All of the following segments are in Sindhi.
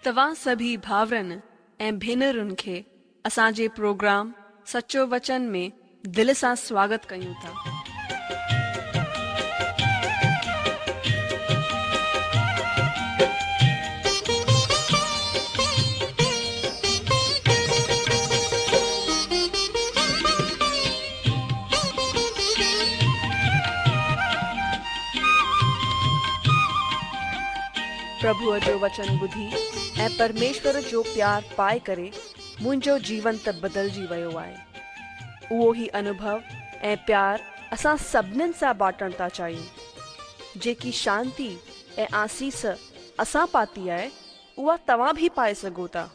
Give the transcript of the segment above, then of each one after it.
توهان سڀئي ڀائرن ۽ ڀينرن کي اسان جي پروگرام سچو وچن ۾ دل سان سواگت ڪيون ٿا. پرڀوء جو وچن ٻڌي ۽ پرميشور جو پيار پائي ڪري منهنجو جيون ته بدلجي ويو آهي. اهو ئي انوڀو ۽ پيار اسان سڀنين سان بانٽڻ ٿا چاهيون. جيڪي شانتي ۽ آسيس اسان پاتي آهي، اها توهان به پائي سگهو ٿا.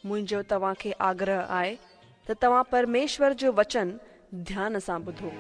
منهنجو توهان کي آگرهه آهي ته توهان پرميشور جو وچن ڌيان سان ٻڌو.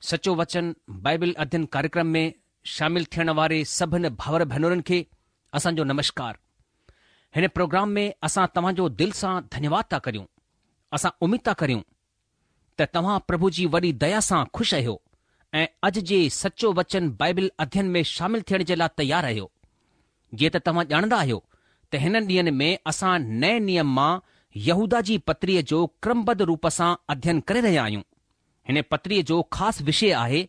سچو وچن بائبل اڌين ڪاريڪرم ۾ شامل ٿيڻ واري سڀن ڀائر ڀينرن کي اسان جو نمشڪار. هن پروگرام ۾ اسان توهان جو دل سان ڌنيواد ٿا ڪريون. اسان اميد ٿا ڪريون ته توهان پرڀو جي وڏي ديا سان خوش آهيو ۽ اڄ جي سچو وچن بائبل اڌين ۾ شامل ٿيڻ جي لاء تيار آهيو. جيئن ته توهان ڄاڻندا آهيو ته هنن ڏينهن ۾ اسان نئين نيم مان يهوداه جي پتريء جو ڪرمبڌ روپ سان اڌين ڪري رهيا آهيون. هن پتريء جو خاص وشي آهي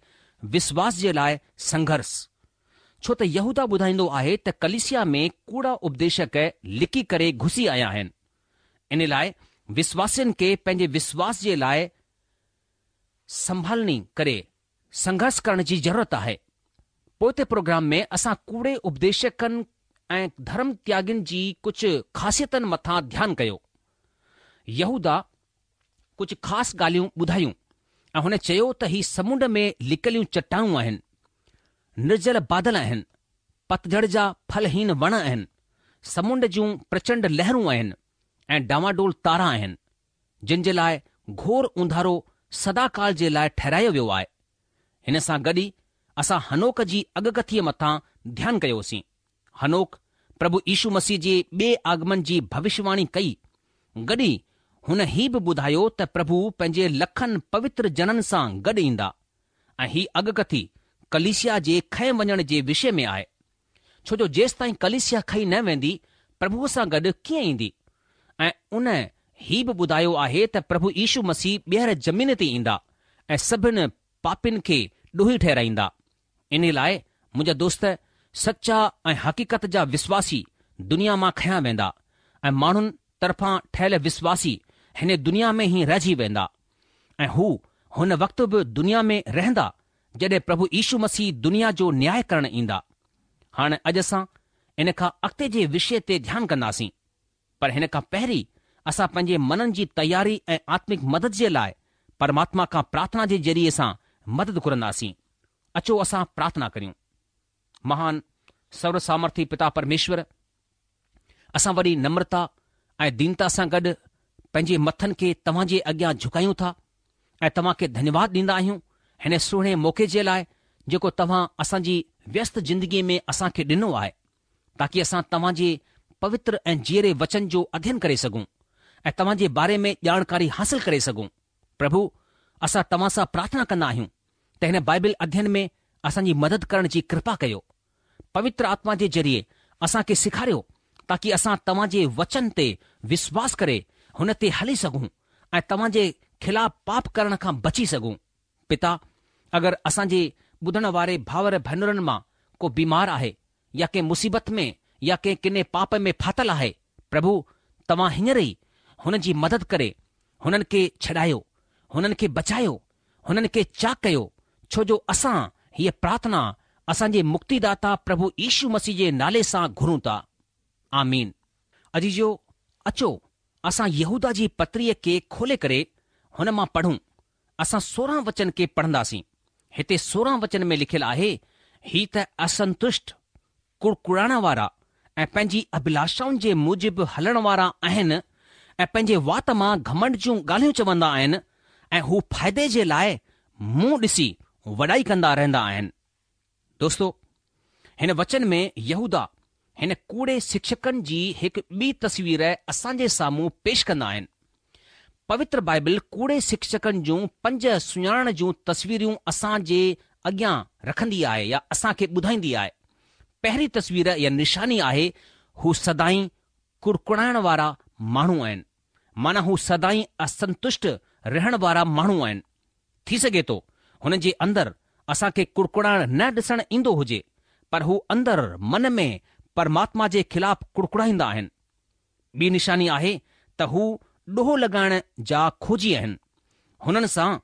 وشواس جي لاء سنگهرس. ڇو ته يهوداه ٻڌائيندو آهي ته ڪليسيا ۾ ڪوڙا اپديشڪ لڪي ڪري گهسي آيا آهن. ان لاء وشواسين کي پنهنجي وشواس جي لاء سنڀالي ڪري سنگهرس ڪرڻ جي ضرورت آهي. پوئتي پروگرام ۾ اسان ڪوڙي اپديشڪن ۽ ڌرم تياڳين جي ڪجهه خاصيتن مٿان ڌيان ڪيو. يهوداه ڪجهه خاص ڳالهيون ٻڌايون ۽ هن چيو ته هي سمنڊ ۾ لڪليون چٽانون آهن، نرجل بادل آهن، پتجهڙ جا ڦلهين وڻ آهن، سمنڊ جون پرچنڊ لهرون آهن ۽ ڊانواڊول تارا آهن، جن جي لاء گهور اونڌارو سداڪال جي لاء ٺهرايو ويو آهي. هن سان گڏ ئي اسان هنوڪ جي اڳڪٿيء مٿان ڌيان ڪيوسين. هنوڪ پرڀو يشو مسيح جي ٻئي آگمن جي ڀوشواڻي ڪئي. گڏ ئي هن هي به ٻڌايو ته پرڀو پنهنجي لکن پوتر جنن سان گڏ ايندا ۽ هي اڳڪٿي ڪليسيا جي کنئي وڃڻ جي وشي ۾ آهي. ڇو جو جيستائين ڪليسيا کنئي نه ويندي پرڀوء سان گڏ ڪيئن ايندي؟ ۽ ان هي به ٻڌايو آهي ته پرڀو يشو مسيح ٻيهر زمين تي ايندا ۽ سڀن پاپين کي ڏوهي ٺهرائيندا. انهي لاء منهنجا دوست، سچا ۽ حقيقت جا وشواسي دنيا مان کنيا ويندا ۽ ماڻهن طرفان ٺهيل وشواسي هن دنيا ۾ ئي رهجي ويندا ۽ هو هن وقت به دنيا ۾ رهندا جڏهن پرڀو يشو مسيح دنيا جو نياء ڪرڻ ايندا. هاڻ اڄ اسان ان کان اڳتي جي وشي تي ڌيان ڪنداسين. پر هن کان پهرين اسان پنهنجي منن جي تياري ۽ آتمڪ مدد جي لاء پرماتما کان پرارٿنا جي ذريعي سان مدد گهرنداسين. اچو اسان پرارٿنا ڪريون. مهان سرو سامرٿي پتا پرميشور، اسان وڏي نمرتا ۽ دينتا سان گڏ پنهنجي مٿن کي توهان جي اڳيان جهڪايون ٿا ۽ توهان کي ڌنيواد ڏيندا آهيون هن سهڻي موقعي جي لاء جيڪو توهان اسان جي ويست زندگي ۾ اسان کي ڏنو آهي. تاڪي اسان توهان جي پوتر ۽ جيئري وچن جو اڌين ڪري سگهون ۽ توهان جي باري ۾ ڄاڻڪاري حاصل ڪري سگهون. پرڀو، اسان توهان سان پرارٿنا ڪندا آهيون ته هن بائبل اڌين ۾ اسان جي مدد ڪرڻ جي ڪرپا ڪيو. پوتر آتما جي ذريعي اسان کي سيکاريو تاڪي اسان توهان جي وچن تي وشواس ڪري هن تي هلي سگهون ۽ توهان جي خلاف پاپ ڪرڻ کان بچي سگهون. پتا، اگر اسان جي ٻڌڻ واري ڀائر ڀينرن مان ڪو بيمار آهي يا ڪنهن مصيبت ۾ يا ڪنهن ڪني پاپ ۾ ڦاٿل آهي، پرڀو، توهان هينئر ئي هنن جي مدد ڪري هنن کي ڇڏايو، هنن کي بچايو، هنن کي چاڪ ڪيو، ڇو جو اسان هيء پرارٿنا اسان جي مڪتيداتا پرڀو يشو مسيح جي نالي سان گهرون ٿا. آمين. عزيزو، اچو اسان يهوداه جي پتريء کي کولي ڪري هن مان پڙهون. اسان 16 وچن کي پڙهنداسين. هتي 16 وچن ۾ لکيل آهي، هي ته اسنتشٽ، ڪڙڪڙائڻ وارا ۽ پنهنجي اڀلاشائن جي موجب هلڻ وارا آهن ۽ پنهنجي وات مان گهمنڊ جون ڳالهيون چوندا آهن ۽ هو فائدي جي لاء منهن ڏسي وڏائي ڪندا رهندا آهن. دوستو! هن وچن ۾ يهوداه هن ڪوڙي شڪشڪن جي هڪ ٻي تصوير اسان جي سامهون پيش ڪندا آهن. پوتر بائبل ڪوڙي شڪشڪن جون پنج سڃاڻڻ جون تصويرون اسان جي اڳيان رکندي آهي يا اسان کي ٻڌائيندي آهي. پهرين تصوير يا نشاني آهي هو سدائين ڪڙڪڙائڻ وارا ماڻهو آهن. معنيٰ هو سدائين اسنتشٽ رهڻ وارا ماڻهو آهن. ٿي سگهي ٿو هنن جي اندر اسان کي ڪڙڪڙائڻ نه ڏسڻ ايندو هجي پر هو اندر من ۾ پرماتما جي خلاف ڪڙڪڙائيندا آهن. ٻي نشاني آهي ته هو ڏوهه لڳائڻ جا کوجي آهن. هنن سان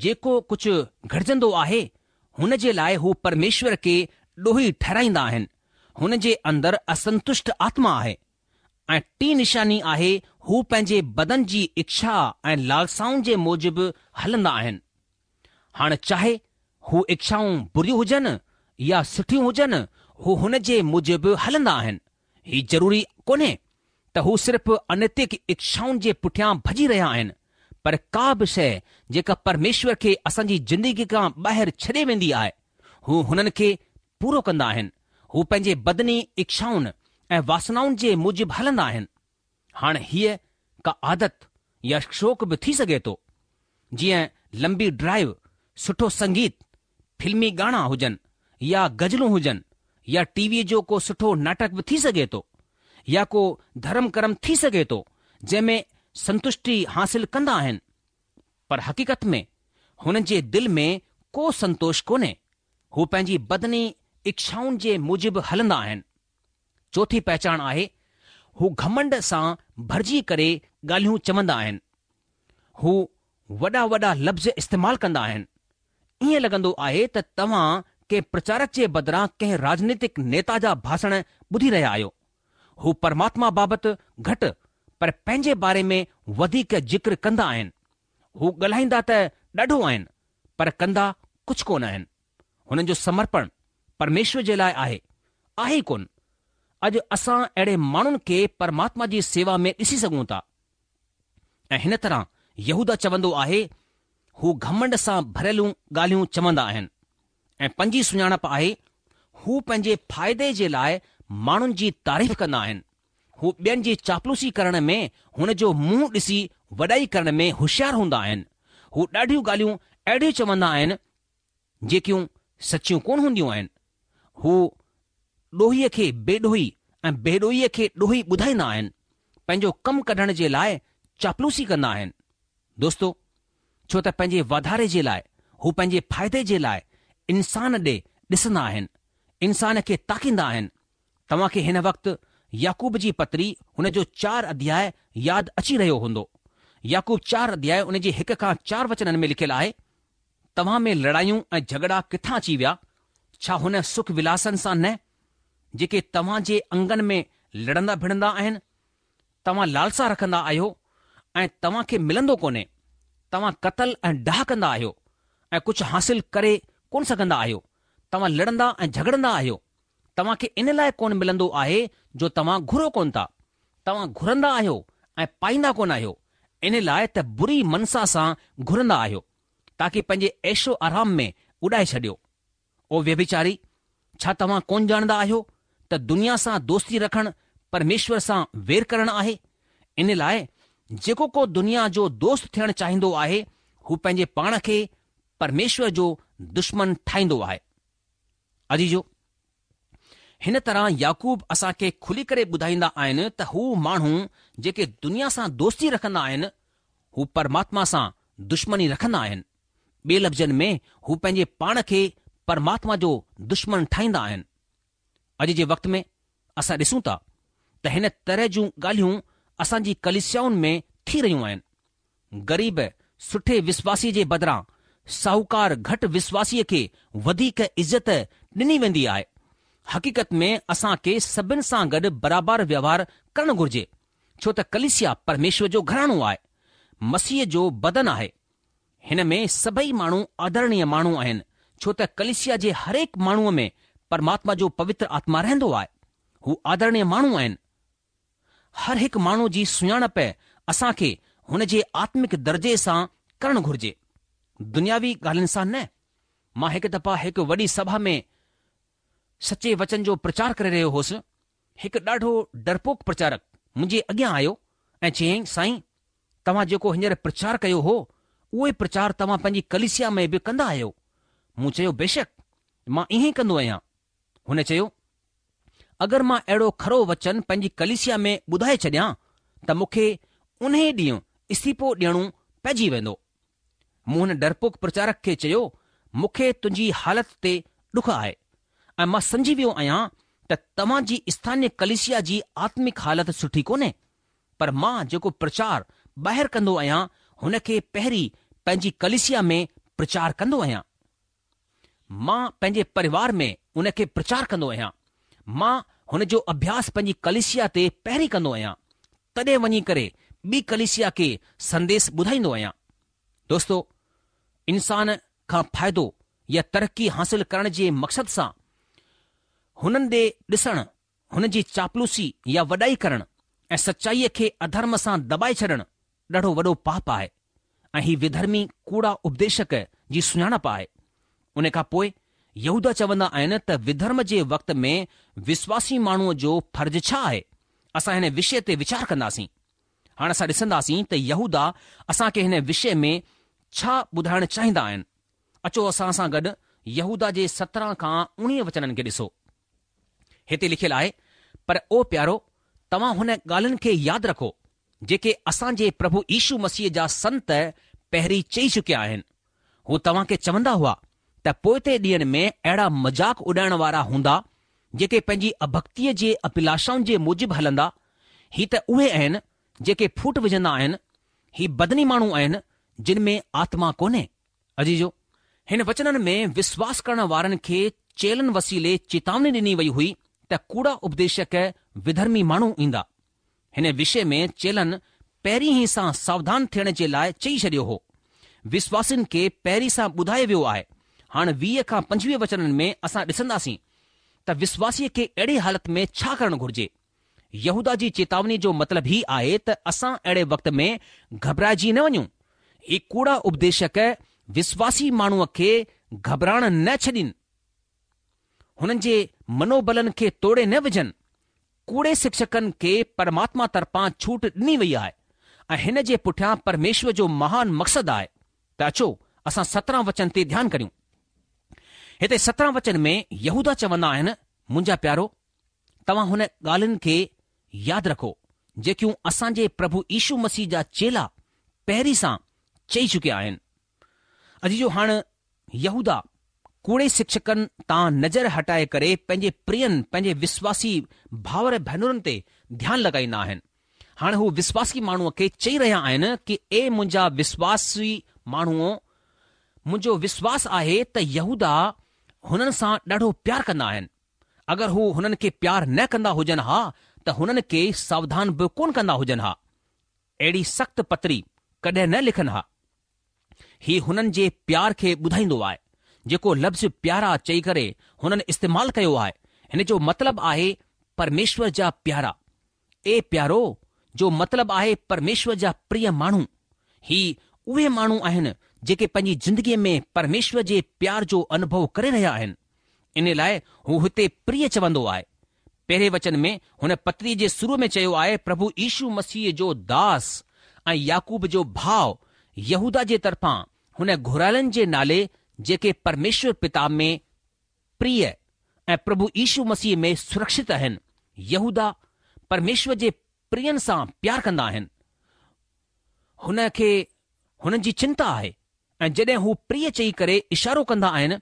جيڪو ڪجهه گهٽجندو آهي هن جي لاء هو پرميشور کي ڏوهي ٺهرائيندا آهن. هن جي اندر اسنتشٽ آتما آهي. ۽ ٽين نشاني آهي هو پنهنجي بدن جي اڇا ۽ لالسائن جي موجب هلندا آهن. هاڻ چاهي هو اڇائون بريون هجن يا سٺيون هجن هو هن جي موجب هلندا آهن. هي ضروري ڪونهي ته هو صرف انيتڪ اڇائن جي پٺيان ڀڄي رهيا آهن. پر ڪا به شيء جيڪا پرميشور کي اسان جي زندگيء کان ٻاهر ڇڏي ويندي آهي، هو هنن کي پورو ڪندا آهن. هو پنهنجي بدني اڇائن ۽ واسنائن جي موجب هلندا آهن. هاڻ هيء ڪا عادت يا شوق به ٿي سگهي ٿو، جيئن لمبي ڊرائيو، سٺو سنگيت، فلمي ڳاڻا هجن يا غزلون هجن يا ٽي ويء جو ڪو سٺو ناٽڪ به ٿي سگهي ٿو يا ڪو ڌرم ڪرم ٿي سگهي ٿو جنهن ۾ سنتشٽي حاصل ڪندا آهن پر حقيقت ۾ هنن جي دل ۾ ڪو سنتوش ڪونهي، هو پنهنجي بدني اڇائن جي موجب هلندا آهن. چوٿين پهچاڻ آهي، هو گهمنڊ سان ڀرجي ڪري ڳالهيون چوندا آهن. هو وڏا وڏا لفظ استعمال ڪندا آهن. ائين لڳندو آهي ته توهان ڪنهن پرچارڪ جي بدران ڪنهن راجنيتڪ نيتا جا ڀاشڻ ٻڌي رهيا آهيو. هو پرماتما بابت گهٽ پر پنهنجي باري ۾ وڌيڪ ذڪر ڪندا آهن. هو ڳالهائيندا ته ڏاڍو آهن پر ڪندا ڪجهه ڪونه آهن. هنن جو سمرپڻ پرميشور جي لاء آهي، آهي ئي ڪونه. اڄ اسان اهڙي ماڻهن کي پرماتما جي سيوا ۾ ڏسي سگهون ٿا. ۽ هن طرح يهوداه چوندو آهي، هو گهمنڊ سان ڀريلون ڳالهيون چوندا آهن. ۽ پنجين سڃاڻپ آهي، هو پنهنجي فائدي جي لاء ماڻهن جي تعريف ڪندا آهن. هو ٻين جي چاپلوسي ڪرڻ ۾ هن جو منهن ڏسي وڏائي ڪرڻ ۾ هوشيار هوندا آهن. هو ڏاڍيون ڳالهيون اهڙيون چوندا آهن، جيڪيون سچيون ڪونه هونديون آهن. هو ڏوهيء کي بي ڏوهي ۽ بي ڏوهيء کي ڏوهي ٻڌائيندا آهن. پنهنجو ڪم ڪڍڻ جي لاء چاپلوسي ڪندا آهن. دوستو! ڇو ته پنهنجي واڌاري جي لاء هو پنهنجي فائدي جي لاء انسان ڏي ڏسندا آهن، انسان کي تاڪيندا آهن. توهان کي هن وقت يعقوب جي پتري هن جو چار اڌياء ياد اچي رهيو هوندو. يعقوب چار اڌياء ان جي هڪ کان چار وچنن ۾ لکيل آهي. توهان ۾ لڙايون ۽ جهڳڙا ڪٿان اچي ويا؟ ڇا هن سک ولاسن سان نه، جيڪي توهان جي انگن ۾ لڙندا ڀڙندا آهن؟ توهان لالسا رکندا آهيو ۽ توهان کي ملندو ڪونهي. توهان قتل ۽ ڊاهه ڪندا آهيو ۽ ڪجهه حاصل ڪري ڪونه سگهندا آهيو. توهان لڙندا ۽ جهڳڙندا آهيو. توهان کي ان لاء ڪونه ملندو آهي جو توهان گهرو ڪونه ٿا. توهان گهرندا آهيو ۽ پائيندا ڪونه آهيو، ان لاء ته بري منسا سان گهرندا آهيو. تاڪي پنهنجي عيش و آرام ۾ اڏائي ڇڏيو. او ويڀچاري، ڇا توهان ڪونه ڄاڻندا آهيو ته دنيا سان دوستي رکڻ پرميشور سان وير ڪرڻ آهي؟ ان لاء جيڪو ڪو دنيا جو دوست ٿيڻ چاهيندو آهي، هو پنهنجي پاڻ کي پرميشور جو دشمن ٺاهيندو آهي. عزيزو! هن طرح يعقوب اسان کي کلي ڪري ٻڌائيندا آهن ته هو ماڻهو جيڪي دنيا سان دوستي رکندا آهن، هو پرماتما سان دشمني رکندا آهن. ٻئي لفظن ۾ هو پنهنجي پاڻ کي پرماتما جو دشمن ٺاهيندا آهن. اڄ جي وقت ۾ اسان ڏسون ٿا ته هن طرح جون ڳالهيون اسان جي ڪليسيائن ۾ ٿي رهيون آهن. غريب سٺي وشواسيء جي بدران ساهوڪار گهٽ وشواسيء کي وڌيڪ عزت ڏني ويندي آهي. حقيقت ۾ اسان کي سڀن سان گڏ برابر ويوهار ڪرڻ گهرجي، ڇو ته ڪليسيا پرميشور جو گهراڻو آهي، مسيح جو بدن آهي. هن ۾ سڀئي ماڻهو آدرڻيه ماڻهو آهن، ڇو ته ڪليسيا جي هرهڪ ماڻهوء ۾ پرماتما جو پوتر آتما رهندو آهي. هو آدرڻيه ماڻهو آهن. هر هڪ ماڻهو جي سڃاڻپ اسان کي هن جي آتمڪ درجي سان ڪرڻ گهرجي، دنياوي ڳالهين سان نه. مان هڪ دفعا هڪ وڏي سڀا ۾ سچي وچن جو پرچار ڪري رهيو هوس. هڪ ڏاڍو ڊرپوڪ پرچارڪ منهنجي اڳيان آيو ۽ چيائين، سائين، توهان جيڪو هينئر پرچار ڪيو هو، اهو ئي پرچار توهان پنهنجي ڪليسيا ۾ به ڪندا آهيو؟ مون چيو، بيشڪ، مان ائين ئي ڪندو آهيان. هن چيو، اگر مان اهڙو کرو وچن پنهنجي ڪليسيا ۾ ٻڌائي ڇڏيان ته مون کي انهيء ڏينهن استعيفو ڏيڻو پئجي ويندو. مون هن ڊرپوڪ پرچارڪ کي چيو، مون کي تنهنجي حالت تي ڏک آهي ۽ مان سمجهي ويو آهيان ته توهان جي اسٿانيه ڪليسيا جي آتمڪ حالت سٺي ڪونهي، پر مان جيڪو پرچار ٻاهر ڪندو آهيان، هن کي پهرين پنهنجي ڪليسيا ۾ پرچار ڪندو آهيان. مان پنهنجي پريوار ۾ ان کي پرچار ڪندو آهيان. مان هن جو اڀياس پنهنجي ڪليسيا تي پهرين ڪندو آهيان، تڏهن وڃي ڪري ٻي ڪليسيا کي سنديس ٻڌائيندو آهيان. دوستو، انسان کان فائدو يا ترقي حاصل ڪرڻ جي مقصد سان هنن ڏي ڏسڻ، هن جي چاپلوسي يا وڏائي ڪرڻ ۽ سچائيء کي اڌرم سان دٻائي ڇڏڻ ڏاڍو وڏو پاپ آهي. ۽ هي وڌرمي ڪوڙا اپديشڪ جي سڃاڻپ آهي. ان کان پوء يهوداه چوندا آهن ته وڌرم جي وقت ۾ وسواسي ماڻهوء جو فرض ڇا آهي؟ اسان هن وشي تي ويچار ڪنداسين. هاڻ اسان ڏسنداسين ته يهوداه اسان کي هن وشي ۾ ڇا ٻڌائڻ چاهيندا آهن. اچو اسان سان گڏ يهوداه جي 17 کان 19 وچنن کي ڏسو. هتي لکيل آهي، پر او پيارو، توهان هن ڳالهين کي ياد رکو، جيڪي اسان جي پرڀو يشو مسيح جا سنت پهرين چئي چڪيا آهن. هو توهان کي چوندا هئا ته پوئتي ڏينهن ۾ اهڙا مذاق اڏائڻ وارا هوندا، جيڪي پنهنجي اڀڪتيء جي اڀلاشائن جي موجب هلندا. هي ته اهي آهن، جيڪي ڦوٽ وجهندا آهن. هي بدني ماڻهو آهن، جن ۾ آتما ڪونهي. عزيزو! هن وچنن ۾ وسواس ڪرڻ وارن کي چيلن وسيلي چيتاوني ڏني وئي هئي ته ڪوڙا اپديشڪ وڌرمي ماڻهو ايندا. هن وشي ۾ چيلن پهرين ئي سان ساوڌان ٿيڻ جي لاء چئي ڇڏيو هو. وسواسين کي پهرين سان ٻڌايو ويو آهي. هاڻ 20 کان 25 وچنن ۾ اسان ڏسنداسين ته وسواسيء کي اهڙي حالت ۾ ڇا ڪرڻ گهرجي. يهوداه جي چيتاونيء جو مطلب هي آهي ته اسان اهڙي وقت ۾ گهٻرائجي نه وڃون. هي ڪوڙا اپديشڪ وسواسي ماڻهوء کي گهٻرائڻ نه ڇڏين. هنن جي منوبلن کي توڙي نه وجهن. ڪوڙي شڪشڪن کي پرماتما طرفان ڇوٽ ڏني وئي آهي ۽ هن جي پٺيان پرميشور جو مهان مقصد آهي ته اچو اسان 17 وچن تي ڌيان ڪريون. هتي 17 وچن ۾ يهوداه چوندا آهن، منهنجا پيارو! توهان هن ڳالهين کي ياد رکو، جيڪيون اسان جي پرڀو يشو مسيح جا چيلا پهرين سان چئي چڪيا آهن. عزيزو هاڻ يهوداه ڪوڙي شڪشڪن تان نظر هٽائي ڪري پنهنجي پرين، پنهنجي وسواسي ڀائر ڀينرن تي ڌيان لڳائيندا آهن. هاڻ هو وسواسي ماڻهوء کي چئي رهيا آهن ڪي اي منهنجا وسواسي ماڻهوء، منهنجو وسواس آهي ته يهوداه هنن سان ڏاڍو پيار ڪندا آهن. اگر هو هنن کي پيار نه ڪندا هجن ها ته هنن کي ساوڌان به ڪونه ڪندا هجن ها. اهڙي سخت پتري ڪڏهن نه لکن ها. هي هنن جي پيار کي ٻڌائيندو آهي. جيڪو لفظ پيارا چئي ڪري هنن استعمال ڪيو آهي، هن جو مطلب آهي پرميشور جا پيارا. اي پيارو جو مطلب آهي پرميشور جا پريه ماڻهو. هي اهي ماڻهو آهن جيڪي پنهنجي زندگيء ۾ پرميشور جي پيار جو انوڀو ڪري رهيا آهن. ان لاء هو هتي پريه چوندو آهي. پهرين وچن ۾ هن پتريء جي شروع ۾ چيو آهي پرڀو يشو مسيح جو داس ۽ يعقوب جو ڀاء يهوداه جي طرفان هن گهرايلن جي نالي جيڪي پرميشور پتا ۾ پريه ۽ پرڀو يشو مسيح ۾ سرڪشت آهن. يهوداه پرميشور جي پرين سان پيار ڪندا آهن. هن کي هنن جي چنتا آهي ۽ جڏهن هو پريه چئي ڪري اشارو ڪندا آهن،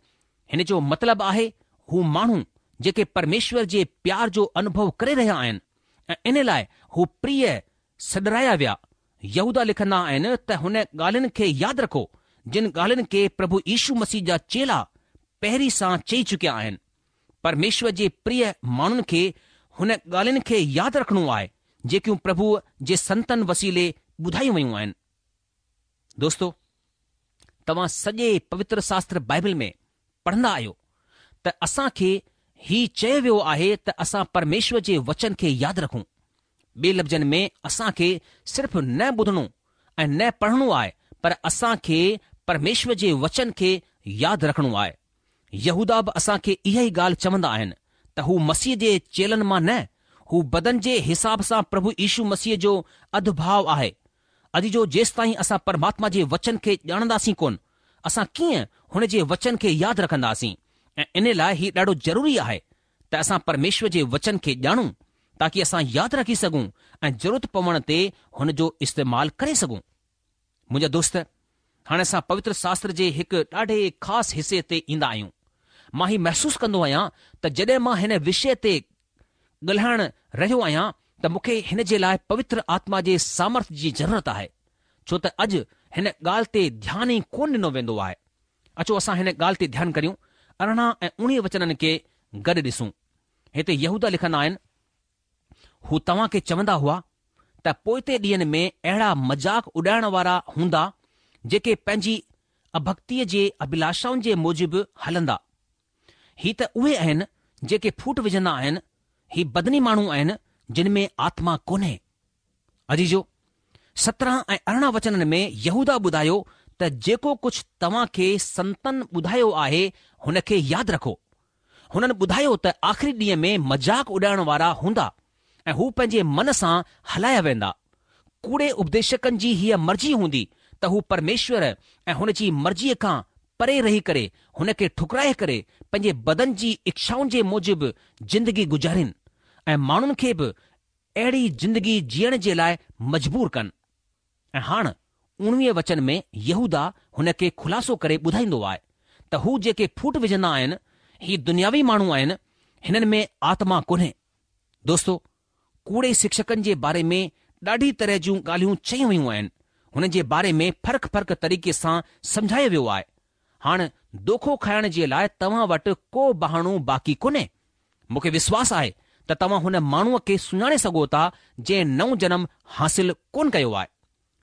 هن جو مطلب آهي هو ماڻهو جيڪي پرميشور جي پيار جو انوڀو ڪري رهيا آهن ۽ ان لاء هو پريه سڏرايا ويا. يهوداه لکندا آهن ته هن ڳالهين کي ياد رکو، جن ڳالهين کي پرڀو يشو مسيح جا چيلا پهرين سان چئي چڪيا آهن. پرميشور جي پريه ماڻهن کي هن ڳالهين کي ياد رکڻو آهي، جيڪيون پرڀوء جي سنتن وسيلي ٻڌايون ويون آهن. دوستو! توهان سڄي پوتر شاستر بائبل ۾ پڙهندا آهيو ته اسان کي هي چيو ويو آهي ته اسان پرميشور جي وچن کي ياد رکون. ٻي لفظن ۾ اسان کي صرف نه ٻڌڻو ۽ نه پڙهڻو آهي پر اسان کي پرميشور جي وچن کي ياد رکڻو آهي. يهوداه به اسان کي اها ئي ڳالهه چوندا آهن ته هو مسيح جي چيلن مان نه، هو بدن جي حساب سان پرڀو يشو مسيح جو اڌ ڀاء آهي. عزيزو جيستائين اسان پرماتما جي وچن کي ڄاڻنداسين ڪونه، اسان ڪيئن هن جي وچن کي ياد رکنداسين ۽ ان لاء هي ڏاڍو ضروري آهي ته اسان پرميشور جي وچن کي ڄاڻون تاڪي اسان ياد رکي سگهون ۽ ضرورت پوڻ تي هن جو استعمال ڪري سگهون. منهنجا دوست، هاڻي اسان پوتر شاستر جي هڪ ڏاڍي خاص حصي تي ايندا آهيون. مان هي محسوس ڪندو آهيان ته جڏهن مان هن وشيه تي ڳالهائڻ رهيو آهيان ته مون کي هن جي لاء پوتر آتما جي سامرٿ جي ضرورت آهي، ڇو ته اڄ هن ڳالهه تي ڌيان ئي ڪونه ڏنو ويندو آهي. اچو اسان هن ڳالهه تي ڌيان ڪريون، 18 ۽ 19 وچنن کي گڏ ڏسون. هتي يهوداه لکندا آهن، هو توهان کي چوندا هئا ته پوئتي ڏينهن ۾ اهڙا مذاق اڏائڻ وارا هوندا جيڪي پنهنجي اڀڪتيء جي اڀلاشائن جي موجب هلندا. هي ته اهي آهن جيڪي ڦوٽ وجهندا آهن، هي بدني ماڻهو آهن جن ۾ آتما ڪونهي. عزيزو! 17 ۽ 18 وچنن ۾ يهوداه ٻڌايو ته جيڪو ڪجهه توهان کي سنتن ٻڌايو آهي هن کي ياد رکو. هنن ٻڌايو ته آخري ڏينهن ۾ مذاق اڏائڻ وارا هوندا ۽ هو پنهنجي من سان هلايا ويندا. ڪوڙي اپديشڪن جي هيء مرضي هوندي ته هو پرميشور ۽ هن جي مرضيء کان پري رهي ڪري هن کي ٺڪرائي ڪري پنهنجي بدن جي اڇائن جي موجب زندگي گذارين ۽ ماڻهن کي به اهڙي زندگي جيئڻ جي لاء مجبور ڪن. ۽ هاڻ اوڻويهه وچن ۾ يهوداه هن کي خلاصو ڪري ٻڌائيندو آهي ته هو جيڪي ڦوٽ وجهندا آهن، هي دنياوي ماڻهو آهن، هنن ۾ آتما ڪونهي. دوستو! ڪوڙي شڪشڪن جي باري ۾ ڏاڍي طرح جون ڳالهيون چيون ويون آهن، هنن جي باري ۾ فرق فرق طريقي سان سمجهايو ويو آهي. هاڻ دوکو کائڻ جي لاء توهان وٽ ڪو بهانو باقي ڪونهي. مون کي وشواس آهي ته توهان هن ماڻهوء کي سڃاڻي سگهو ٿا جنهن نئون جنم حاصل ڪونه ڪيو آهي.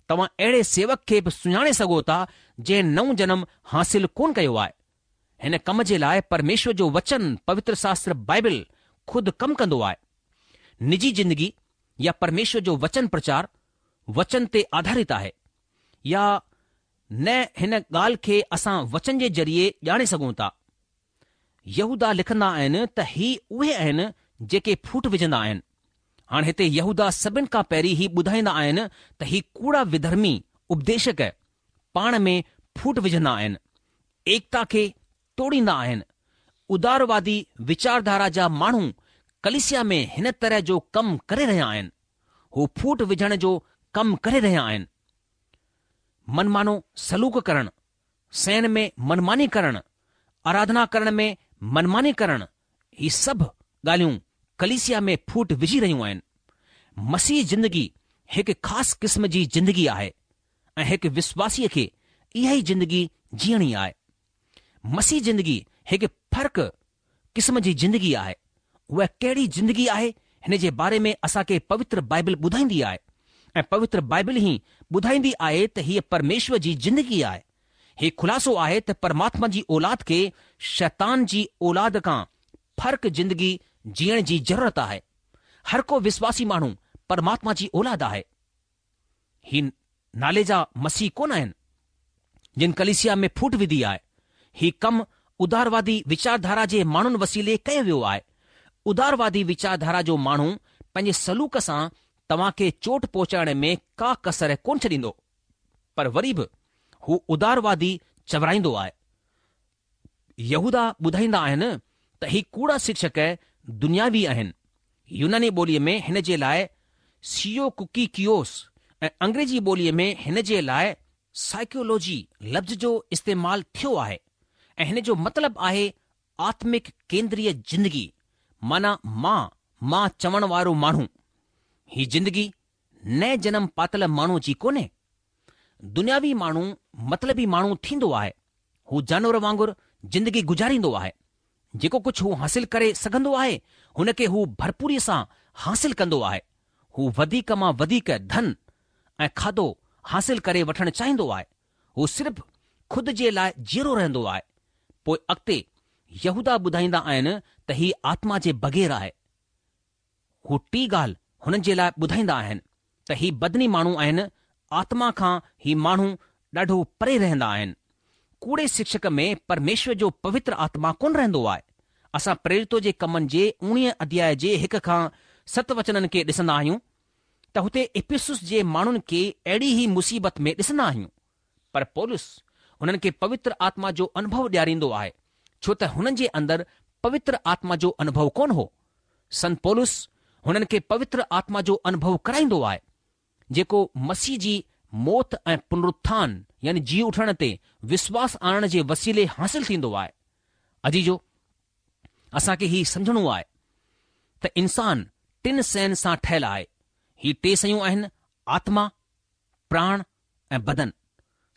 توهان اهڙي سيوڪ کي به سڃاڻي سگهو ٿا جنهن نئون جنم حاصل ڪونه ڪيو آهي. هن ڪم جي لاء پرميشور جو وچن پوتر شاستر بائبل خود ڪم ڪندو آهي. نجي زندگي يا پرميشور جو وچن پرچار وچن تي آڌارت آهي يا نه هن ڳالهه کي اسان وچن جي ذريعي ڄاڻي سگهون ٿا. يهوداه لکندا آهن ته هي اهي آهن جيڪي ڦوٽ وجهندا آهن. هاڻ هتي يهوداه سڀن کان پهرين هي ٻڌائيندا آهن ته هي ڪوڙا وڌرمي اپديشڪ پاڻ ۾ ڦوٽ وجهندا آهن، ايڪتا کي ٽوڙيندا آهن. اداروادي ويچارڌارا جا ماڻهو ڪليسيا ۾ هن طرح جو ڪم ڪري رهيا آهن. هو ڦوٽ وجهڻ جو ڪم ڪري رهيا آهن. منمانو سلوڪ ڪرڻ، شين ۾ منماني ڪرڻ، آراڌنا ڪرڻ ۾ منماني ڪرڻ، هي سڀ ڳالهيون ڪليسيا ۾ ڦوٽ وجهي رهيون آهن. مسيحي زندگي هڪ خاص قسم جي زندگي آهي ۽ هڪ وشواسيء کي اها ئي زندگي جيئڻي آهي. مسيحي زندگي هڪ فرق قسم جي زندگي آهي. اها ڪهڙي زندگي آهي هن جي باري ۾ اسان کي پوتر بائبل ٻڌائيندي آهي ۽ پوتر بائبل هي ٻڌائيندي آهي ته هيء پرميشور جي زندگي آهي. هي خلاصو آهي ته پرماتما جي اولاد کي شيطان جي اولاد کان فرق زندگي جيئڻ جي ضرورت آهي. هر ڪو وشواسي ماڻهو پرماتما جي اولاد آهي. هي نالي جا مسيح ڪونه آهن، جن ڪليسيا ۾ ڦوٽ وڌي آهي. هي ڪم اداروادي ويچارڌارا جي ماڻهن وسيلي ڪيو ويو آهي. اداروادي ويچارڌارا جو ماڻهو پنهنجي سلوڪ سان توهان کي چوٽ پهچائڻ ۾ ڪا ڪسر ڪونه ڇڏيندو، پر وري به هو اداروادي چورائيندو آهي. يهوداه ٻڌائيندا آهن ته هي ڪوڙا شڪشڪ دنياوي آهن. يوناني ٻوليء ۾ هن جي لاء سيوڪوڪيڪيوس ۽ انگريزي ٻوليء ۾ هن جي لاء سائيڪيولوجي لفظ جو استعمال ٿيو آهي ۽ هن جو مطلب آهي آتمڪ ڪيندريه زندگي معنيٰ مان مان چوڻ وارو ماڻهو. هي زندگي نئين جنم پاتل ماڻهوء جي ڪونهي. دنياوي ماڻهو مطلبي ماڻهو ٿيندو آهي. هو جانور وانگر زندگي گذاريندو آهي. جيڪو ڪجهه هو حاصل ڪري سگهندو آهي، هن کي هو ڀرپوريء سان حاصل ڪندو آهي. هو وڌيڪ مان وڌيڪ ڌن ۽ کاڌو حاصل ڪري وٺڻ چاهيندو آهي. هو صرف خود جي لاء جيئرو رهندو آهي. پوء اڳتي يهوداه ٻڌائيندا آهن ته هي آتما جي بغير آهي. هو ٽي ڳالهه هنن جي لاء ٻڌائيندا آهن ته هي بدني ماڻهو آهن، آتما کان هي ماڻهو ڏاڍو پري رهندا آهن. ڪوڙي شڪشڪ ۾ پرميشور جو پوتر آتما ڪونه رهندو آهي. اسان پريرتو جي ڪمن جي اوڻيهه اڌياء جي هڪ کان ست وچنن کي ڏسندا آهيون ته هتي افسس جي ماڻهن کي اهڙي ئي مصيبت ۾ ڏسندا آهيون. پر پولس هنن کي پوتر آتما جو انوڀو ڏياريندو آهي، ڇو ته هنن جي اندر پوتر آتما جو انوڀو ڪونه هو. سنت پولس هنن کي پوتر آتما جو انوڀو ڪرائيندو آهي، جيڪو مسيح جي موت ۽ پنرٿان يعني جي اٺڻ تي وشواس آڻڻ جي وسيلي حاصل ٿيندو آهي. عزيزو! اسان کي هي سمجهڻو آهي ته انسان ٽن شين سان ٺهيل آهي. هي ٽي شيون آهن، آتما، پراڻ ۽ بدن.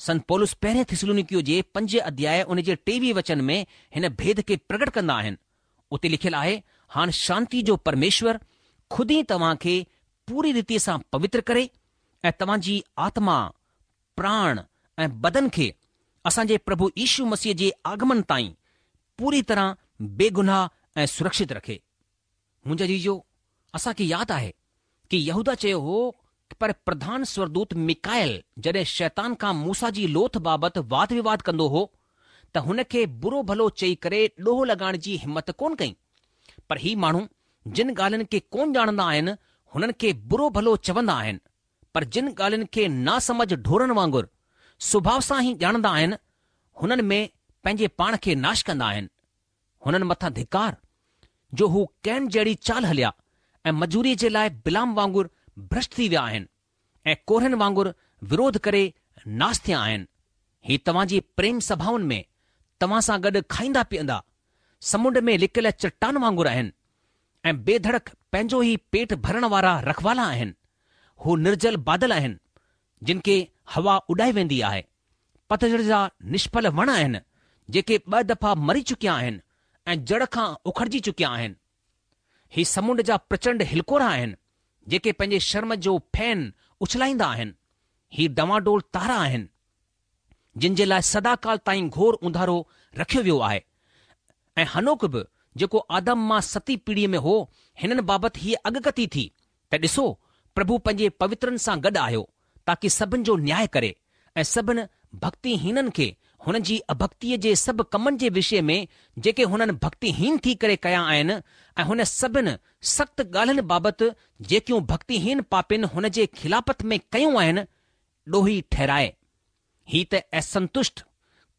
سنت پولس پهرين ٿسلونيڪيو جي پنج اڌياء ان جي ٽيويهه وچن ۾ هن ڀيد کي پرگٽ ڪندا آهن. اتي لکيل آهي، هاڻ شانتي جو پرميشور خود ئي توهان کي پوري ريتيء سان پوتر ڪري ۽ توهان جي آتما، پراڻ ۽ بدن کي اسان جي پرڀو يشو مسيح جي آگمن تائين پوري طرح بيگناهه ۽ سرڪشت رکي. منهنجا عزيزو، اسان کي ياد آهي ڪي يهوداه چيو هو پر پرڌان سورگدوت ميڪائيل جڏهن شيطان کان موسيٰ جي لوٿ بابت واد وواد ڪندو هو ته هن کي برو ڀلو چئي ڪري ڏوهه لڳائڻ جي همت ڪونه ڪئي. پر هي ماڻهو جن ڳالهين کي ڪونه ڄاڻندا آهن، هنن کي برو ڀلو چوندا آهن، پر جن ڳالهين کي ناسمجهه ڍورن وانگر سڀاء سان ئي ڄاڻندا آهن، هنن ۾ پنهنجي پاڻ کي ناش ڪندا آهن. هنن مٿان ڌڪار، جو هو ڪين جهڙي چال هليا ۽ مزوريء جي لاء بلعام وانگر ڀرشٽ ٿي ويا آهن ۽ ڪورهن وانگر وروڌ ڪري ناس ٿيا آهن. هي توهان جي پريم سڀائن ۾ توهان سان گڏ کائيندا پيئندا، سمنڊ ۾ لڪيل چٽان وانگر آهن ۽ بي ڌڙڪ پنهنجو ئي پيٽ ڀرڻ وارا رکوالا آهن. هو نرجل بادل آهن، جن کي هوا اڏائي ويندي آهي. پتجهڙ جا نشڦل وڻ آهن، جيڪي ٻه دفعا مري چڪيا آهن ۽ جڙ کان اکڙجي چڪيا آهن. هي سمنڊ جا پرچنڊ هلڪورا آهن، جيڪي پنهنجي شرم جو ڦين اڇلائيندا آهن. هي ڊنواڊول تارا آهن، جن جي لاء سداڪال تائين گهور اونڌارو رکيو ويو آهي. ۽ حنوڪ به، جيڪو آدم مان ستين پيڙهيء ۾ هو، هنن بابت هيء اڳڪٿي ٿي ته ڏسو، پرڀو پنهنجي پوترن سان گڏ آيو، تاڪي سڀن جو نياء ڪري، ۽ سڀن ڀڳتيهينن کي هنن جي اڀڳتيء جي سڀ ڪمن جي وشي ۾ جيڪي هنن ڀڳتيهين ٿي ڪري ڪيا آهن، ۽ هن سڀن سخت ڳالهين بابت جيڪيون ڀڳتيهين پاپين هن جي خلافت ۾ ڪيون آهن، ڏوهي ٺهرائي. هي ته اسنتشٽ،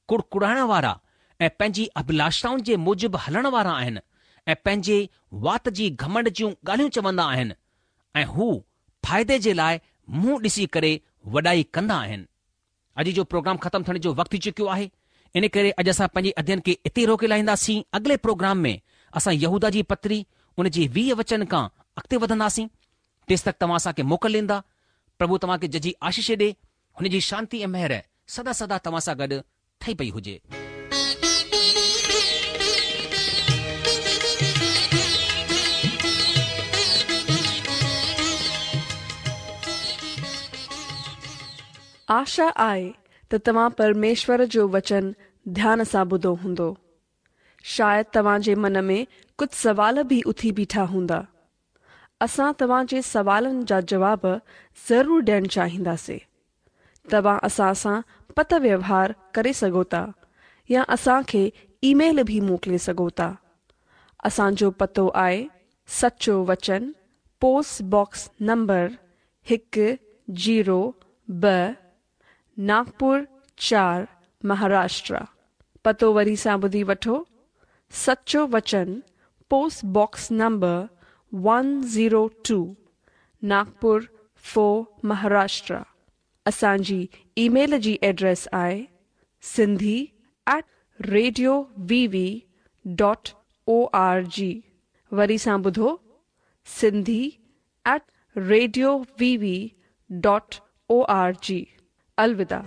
ڪڙڪڙائڻ وارا ۽ پنهنجي اڀلاشائن جي موجب هلڻ وارا آهن ۽ پنهنجي وات جي گهمنڊ جون ڳالهيون چوندا آهن ۽ هو فائدي جي لاء منهن ڏسي ڪري وڏائي ڪندا آهن. اڄ جو پروگرام ختم ٿيڻ جو وقت ٿي چڪيو آهي ان ڪري اڄ اسان پنهنجي اڌين کي اتي ئي روڪي لاهينداسين. اڳلي پروگرام ۾ اسان يهوداه جي پتري ان جي 20 وچن کان اڳتي وڌنداسين. تيستڪ توهان اسان کي موڪل ڏيندا. پرڀو توهان کي ججهي آشيش ڏي. هن جي شانتي ۽ مهر سدا سدا توهان سان گڏ ٺهي پئي هجي. آشا آهي ته توهان پرميشور جو وچن ڌيان سان ٻڌو هوندو. شايد توهان جي من ۾ ڪجهه سوال به اٿي بيٺا هوندا. اسان توهان جي سوالن جا جواب ضرور ڏيڻ چاهينداسين. توهان اسان سان پتر ويوهار ڪري سگهو ٿا يا اسان کي اي ميل به موڪلي سگهو ٿا. اسان جو پتو آهي سچو وچن پوسٽ باڪس نمبر هڪ زيرو ٻه ناگپور چار مهاراشٽرا. پتو وري سان ٻڌي وٺو سچو وچن post box number one zero two Nagpur four Maharashtra. اسان جي اي ميل جي ايڊريس آهي Sindhi at radio V V dot O R جي وري سان ٻڌو Sindhi at radio V V dot O R جي الوداع.